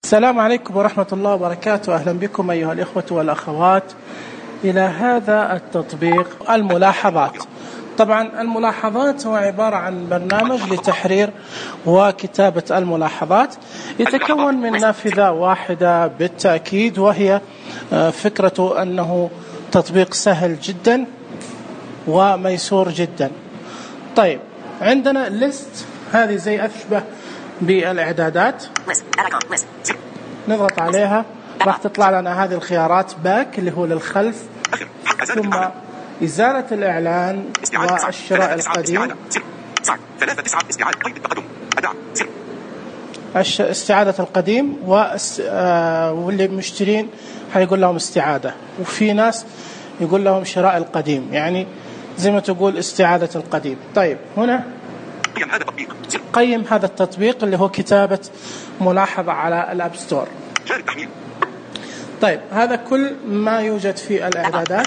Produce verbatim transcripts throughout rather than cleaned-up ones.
السلام عليكم ورحمة الله وبركاته. أهلا بكم أيها الإخوة والأخوات إلى هذا التطبيق الملاحظات. طبعا الملاحظات هو عبارة عن برنامج لتحرير وكتابة الملاحظات، يتكون من نافذة واحدة بالتأكيد، وهي فكرته أنه تطبيق سهل جدا وميسور جدا. طيب عندنا ليست، هذه زي أشبه بالإعدادات، نضغط عليها راح تطلع لنا هذه الخيارات: باك اللي هو للخلف، ثم إزالة الإعلان والشراء القديم، استعادة القديم، واللي مشترين هيقول لهم استعادة، وفي ناس يقول لهم شراء القديم، يعني زي ما تقول استعادة القديم. طيب هنا قيم هذا التطبيق اللي هو كتابة ملاحظة على الأب ستور. طيب هذا كل ما يوجد في الإعدادات.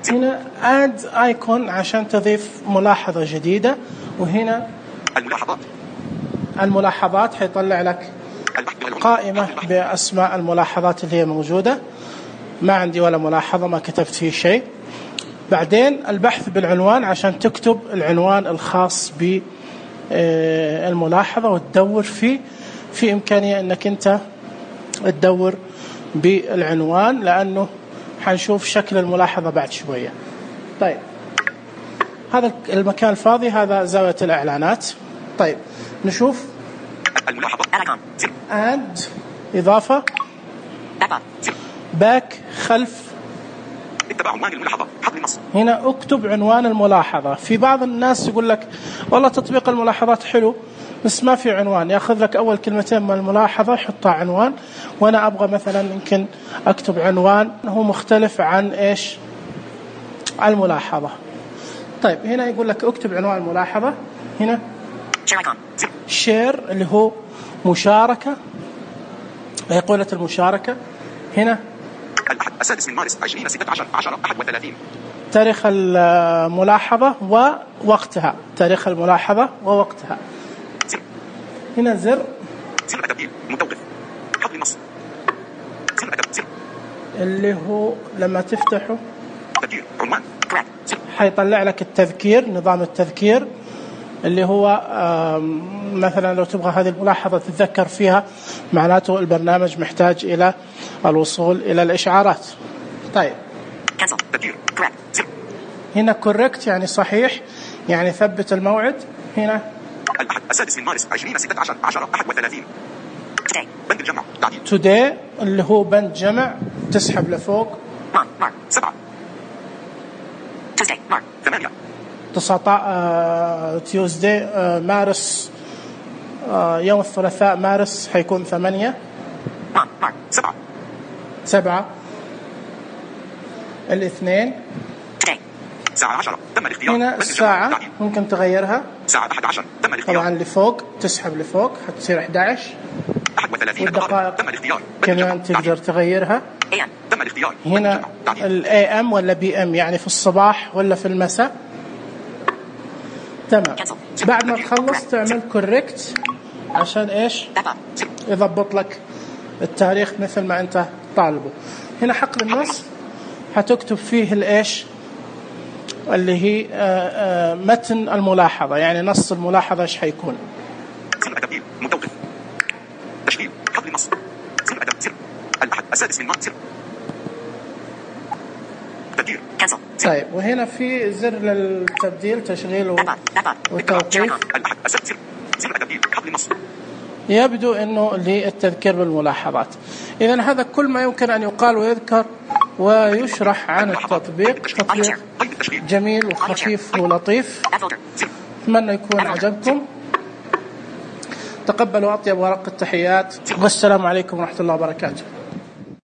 هنا add icon عشان تضيف ملاحظة جديدة، وهنا الملاحظات الملاحظات حيطلع لك قائمة بأسماء الملاحظات اللي هي موجودة. ما عندي ولا ملاحظة، ما كتبت فيه شيء. بعدين البحث بالعنوان عشان تكتب العنوان الخاص بالملاحظة وتدور فيه. في إمكانية أنك أنت تدور بالعنوان، لأنه حنشوف شكل الملاحظة بعد شوية. طيب هذا المكان الفاضي هذا زاوية الإعلانات. طيب نشوف الملاحظة add إضافة، باك خلف، عنوان الملاحظة، حط النص. هنا اكتب عنوان الملاحظة. في بعض الناس يقول لك والله تطبيق الملاحظات حلو بس ما في عنوان، ياخذ لك أول كلمتين من الملاحظة يحطها عنوان، وأنا أبغى مثلا يمكن أكتب عنوان هو مختلف عن إيش الملاحظة. طيب هنا يقول لك اكتب عنوان الملاحظة. هنا شير اللي هو مشاركة، أيقونة المشاركة. هنا الأحد السادس من مارس عشرين ستة عشر عشرة أحد وثلاثين، تاريخ الملاحظة ووقتها، تاريخ الملاحظة ووقتها. هنا زر زر التبديل متوقف، حط النص، زر التبديل اللي هو لما تفتحه تذكير عنوان حيطلع لك التذكير، نظام التذكير اللي هو مثلا لو تبغى هذه الملاحظة تتذكر فيها، معناته البرنامج محتاج إلى الوصول إلى الإشعارات. طيب هنا correct يعني صحيح، يعني ثبت الموعد. هنا الأحد السادس من مارس عشرين ستة عشر عشرة أحد وثلاثين، بند الجمع تعديل today اللي هو بند جمع، تسحب لفوق سبعة ثمانية تسعة تيوزداي مارس، يوم الثلاثاء مارس حيكون ثمانية سبعة سبعة الاثنين ساعة عشرة تم الاختيار. هنا الساعة ممكن تغيرها، ساعة أحد عشر تم الاختيار، طبعا لفوق تسحب لفوق حتصير أحد عشر، والدقائق تم الاختيار كمان تقدر تغيرها. تم الاختيار. هنا الاي ام ولا بي ام، يعني في الصباح ولا في المساء. تمام. بعد ما تخلص تعمل كوريكت عشان ايش يضبط لك التاريخ مثل ما انت طالبه. هنا حقل النص هتكتب فيه الايش اللي هي آآ آآ متن الملاحظة، يعني نص الملاحظة ايش حيكون. سر التبديل متوقف، تشغيل حقل النص، سر التبديل، سر الأحد السادس من مارس، تبديل كنسل. طيب وهنا في زر للتبديل، تشغيل وتوقيف. الأحد السادس سر التبديل، حقل النص. يبدو انه للتذكير بالملاحظات. اذا هذا كل ما يمكن ان يقال ويذكر ويشرح عن التطبيق. تطبيق جميل وخفيف ولطيف، اتمنى يكون عجبكم. تقبلوا اطيب ورق التحيات، والسلام عليكم ورحمة الله وبركاته.